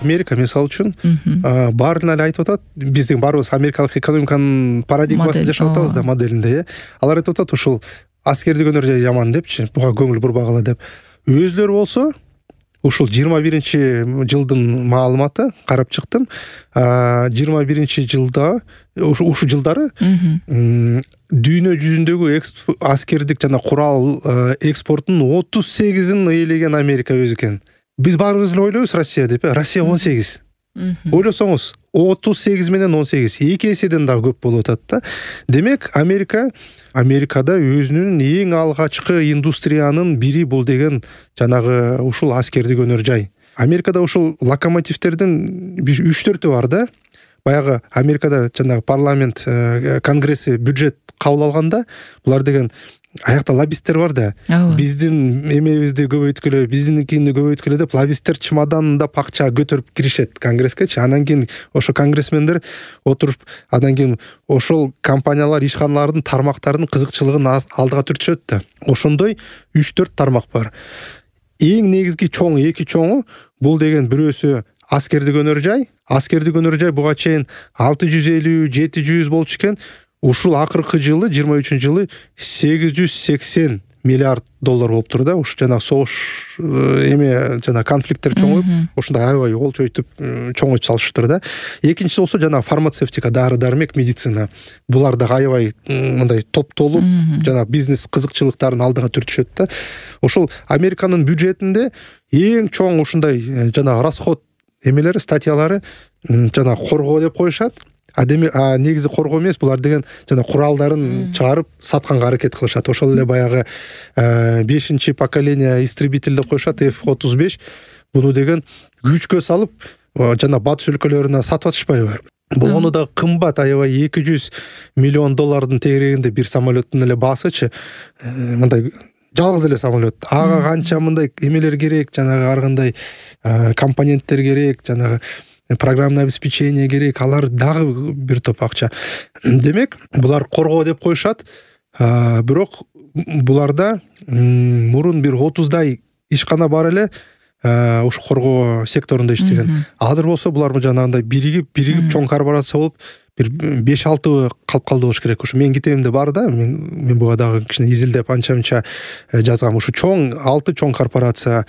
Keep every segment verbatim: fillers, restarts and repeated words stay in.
Америка мисалы үчүн баарына эле айтып атат, биздин баарыбыз америкалык экономиканын парадигмасында жашап атабыз да, моделинде, э. Алар айтып атат ушул аскердик өнөр жай жаман депчи, буга көңүл бурбагыла деп. Өзүлөрү болсо ушул жыйырма биринчи жылдын маалыматы карап чыктым. жыйырма биринчи жылда ушу жылдары дүйнө жүзүндөгү аскердик жана курал экспортунун отуз сегизин ээлеген Америка өзү экен. Биз баарыбыз эле ойлойбуз Россия деп, Россия он сегиз. Ойлосоңуз, отуз сегиз менен он сегиз эки эседен дагы көп болуп атат да. Демек, Америка Америкада өзүнүн эң алгачкы индустриянын бири бул деген жанагы ушул аскердик өнөр жай. Америкада ушул локомотивтердин үч төртү бар да. Баягы Америкада жанагы парламент, конгресси бюджет кабыл алганда, булар деген аякта лоббисттер бар да. Биздин эмебизди көбөйткүлө, биздиникини көбөйткүлө деп лоббисттер чемоданында акча көтөрүп киришет конгресске. Анан кийин ошо конгрессмендер отуруп, анан кийин ошол компаниялар ишканалардын тармактарынын кызыкчылыгын алдыга түртүшөт да. Ошондой үч төрт тармак бар. Эң негизги чоң эки чоңу бул деген бирөөсү аскердик өнөр жай. Аскердик өнөр жай буга чейин алты жүз элүү жети жүз болчу экен. Ушул акыркы жылы жыйырма үчүнчү жылы сегиз жүз сексен миллиард доллар болуп тур да. Ушу жана согуш эме жана конфликттер чоңоюп, ошондой аябай олчойтуп чоңойтуп салышыптыр да. Экинчиси болсо жана фармацевтика, дары-дармек, медицина. Булар да аябай мындай топтолуп, жана бизнес кызыкчылыктарын алдыга түртүшөт да. Ошол Американын бюджетинде эң чоң ушундай жана расход эмелери, статьялары жана коргоо деп коюшат. А деме а негизи коргоо эмес, булар деген жана куралдарын чыгарып сатканга аракет кылышат. Ошол эле баягы бешинчи поколение истребитель деп коюшат, эф отуз беш. Буну деген күчкө салып жана батыш өлкөлөрүнө сатып атышпайбы? Болгону да кымбат, аябай эки жүз миллион доллардын тегерегинде бир самолеттун эле баасычы. Мындай жалгыз эле самолет. Ага канча мындай эмелер керек, жанагы ар кандай компоненттер керек, жанагы программное обеспечение керек, алар дагы бир топ акча. Демек, булар коргоо деп коюшат. Бирок буларда мурун бир отуздай ишкана бар эле ушу коргоо секторунда иштеген. Азыр болсо булар жанагындай биригип, биригип чоң корпорация болуп, бир беш алты калып калды болуш керек. Ушу менин китебимде бар да, мен мен буга дагы кичине изилдеп анча-мынча жазгам. Ушу чоң алты чоң корпорация: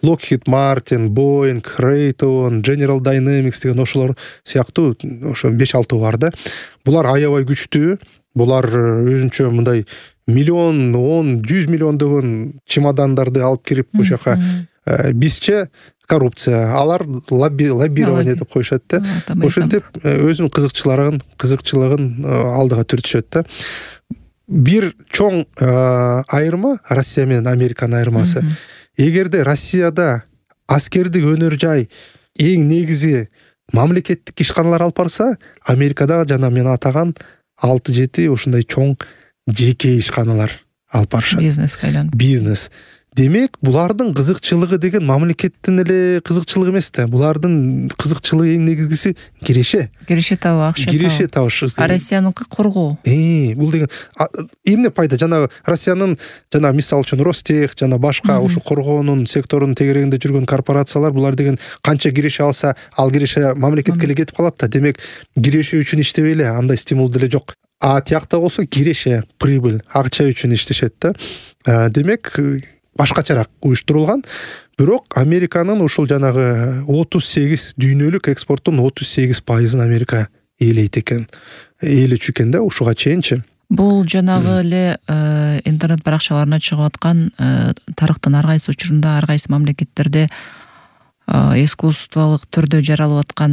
Lockheed Martin, Boeing, Raytheon, General Dynamics деген ошолор сыяктуу ошо беш алты бар да. Булар аябай күчтүү. Булар өзүнчө мындай миллион, он, жүз миллиондогон чемодандарды алып кирип ошол жака бизче коррупция, алар лоббирование деп коюшат да. Ошентип өзүнүн кызыкчылыгын, кызыкчылыгын алдыга түртүшөт да. Бир чоң айырма Россия менен Американын айырмасы. Эгерде Россияда аскердик өнөр жай эң негизи мамлекеттик ишканалар алып барса, Америкада жана мен атаган алты жети ушундай чоң жеке ишканалар алып барышат. Бизнеске айланып. Бизнес. Демек, булардын кызыкчылыгы деген мамлекеттин эле кызыкчылыгы эмес да. Булардын кызыкчылыгы эң негизгиси киреше. Киреше табуу, акча табуу. Киреше табыш. А Россияныкы коргоо. Э, бул деген эмне пайда? Жана Россиянын жана мисалы үчүн Ростех жана башка ушу коргоонун секторунун тегерегинде жүргөн корпорациялар, булар деген канча киреше алса, ал киреше мамлекетке эле кетип калат да. Демек, киреше үчүн иштебей эле, андай стимул деле жок. А тиякта болсо киреше, прибыль, акча үчүн иштешет да. Демек, башкачараак уюштурулган. Бирок Американын ушул жанагы отуз сегиз дүйнөлүк экспорттун отуз сегиз пайызын Америка ээлейт экен. Ээлечү экен да ушуга чейинчи. Бул жанагы эле интернет баракчаларына чыгып аткан тарыхтын ар кайсы учурунда ар кайсы мамлекеттерде искусстволук түрдө жаралып аткан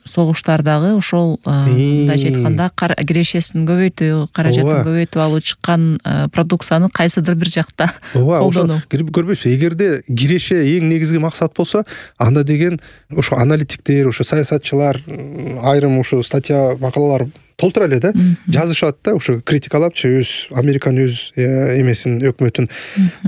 согуштардагы ошол мындайча айтканда кирешесин көбөйтүү, каражатын көбөйтүп алып чыккан продукцияны кайсыдыр бир жакта колдонуу. Көрбөйсүз, эгерде киреше эң негизги максат болсо, анда деген ошо аналитиктер, ошо саясатчылар, айрым ошо статья, макалалар толтура эле да жазышат да, ушу критикалапчы өз Американын өз эмесин, өкмөтүн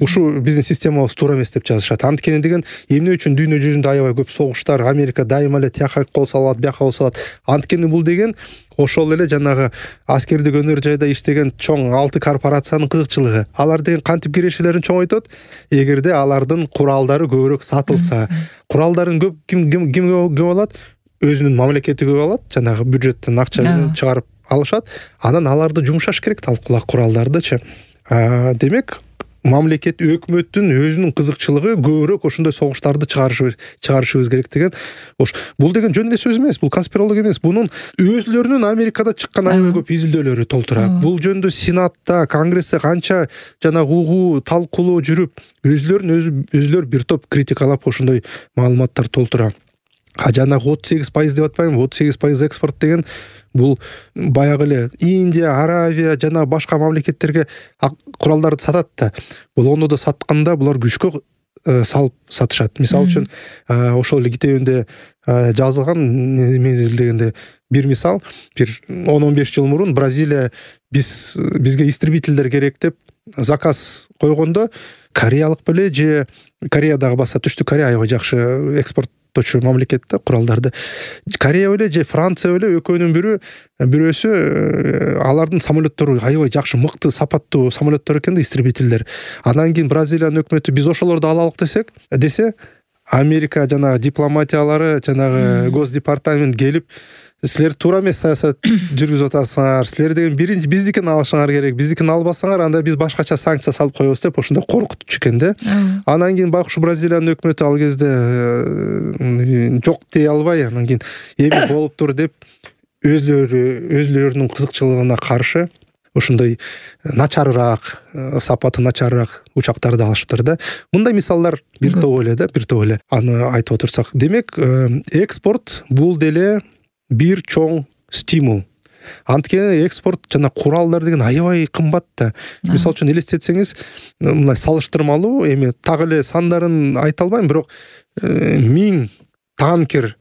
ушу биздин системабыз туура эмес деп жазышат. Анткени деген эмне үчүн дүйнө жүзүндө аябай көп согуштар, Америка дайыма эле тияка кол салат, бияка кол салат. Анткени бул деген ошол эле жанагы аскердик өнөр жайда иштеген чоң алты корпорациянын кызыкчылыгы. Алар деген кантип кирешелерин чоңойтот? Эгерде алардын куралдары көбүрөөк сатылса, куралдарын көп ким ким көп алат? Өзүнүн мамлекети көп алат, жанагы бюджеттен акча чыгарып алышат. Анан аларды жумшаш керек, талкуулак куралдардычы. Демек, мамлекет, өкмөттүн өзүнүн кызыкчылыгы көбүрөөк ошондой согуштарды чыгарыш чыгарышыбыз керек деген. Ош бул деген жөн эле сөз эмес, бул конспирология эмес. Бунун өзлөрүнүн Америкада чыккан аябай көп изилдөөлөрү толтура. Бул жөнүндө Сенатта, Конгрессте канча жана угуу, талкуулоо жүрүп, өзлөрүн өзүлөр бир топ критикалап ошондой маалыматтар толтура. А жанагы отуз сегиз пайыз деп атпаймынбы? отуз сегиз пайыз экспорт деген бул баягы эле Индия, Аравия жана башка мамлекеттерге куралдарды сатат да. Бул ондо да сатканда булар күчкө салып сатышат. Мисалы үчүн, ошол эле китебинде жазылган, мен изилдегенде бир мисал, бир он он беш жыл мурун Бразилия биз бизге истребительдер керек деп заказ койгондо, кореялык беле же Кореядагы баса Түштүк Корея аябай жакшы экспорт мамлекет да куралдарды. Корея беле же Франция беле экөөнүн бирөө бирөөсү алардын самолеттору аябай жакшы, мыкты, сапаттуу самолеттор экен да, истребительдер. Андан кийин Бразилиянын өкмөтү биз ошолорду алалык десек, десе Америка жанагы дипломатиялары, жанагы Госдепартамент келип, силер туура эмес саясат жүргүзүп атасыңар. Силер деген биринчи биздикин алышыңар керек. Биздикин албасаңар, анда биз башкача санкция салып коебуз деп ошондой коркутчу экен да. Анан кийин байкуш Бразилиянын өкмөтү ал кезде жок дей албай, анан кийин эми болуптур деп өзлөрү өзлөрүнүн кызыкчылыгына каршы ошондой начарыраак, сапаты начарыраак учактарды алышыптыр да. Мындай мисалдар бир топ эле да, бир топ эле. Аны айтып отурсак, демек, экспорт бул деле бир чоң стимул. Анткени экспорт жана куралдар деген аябай кымбат да. Мисалы үчүн элестетсеңиз, мындай салыштырмалуу, эми так эле сандарын айта албайм, бирок миң танкер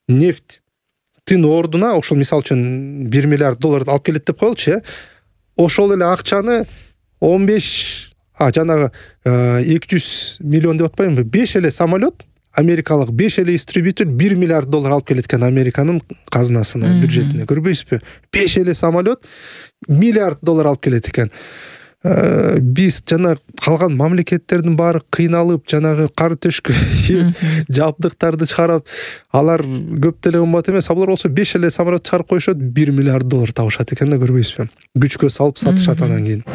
нефттин ордуна ошол мисалы үчүн бир миллиард долларды алып келет деп коелучу, э. Ошол эле акчаны он беш, а жанагы эки жүз миллион деп атпаймынбы? беш эле самолет, америкалык беш эле истребитель бир миллиард доллар алып келет экен Американын казынасына, бюджетине. Көрбөйсүзбү? беш эле самолет миллиард доллар алып келет экен. Биз жана калган мамлекеттердин баары кыйналып, жанагы кар төшкө жабдыктарды чыгарып, алар көп деле кымбат эмес. Алар болсо беш эле самолет чыгарып коюшат, бир миллиард доллар табышат экен да, көрбөйсүзбү? Күчкө салып сатышат анан кийин.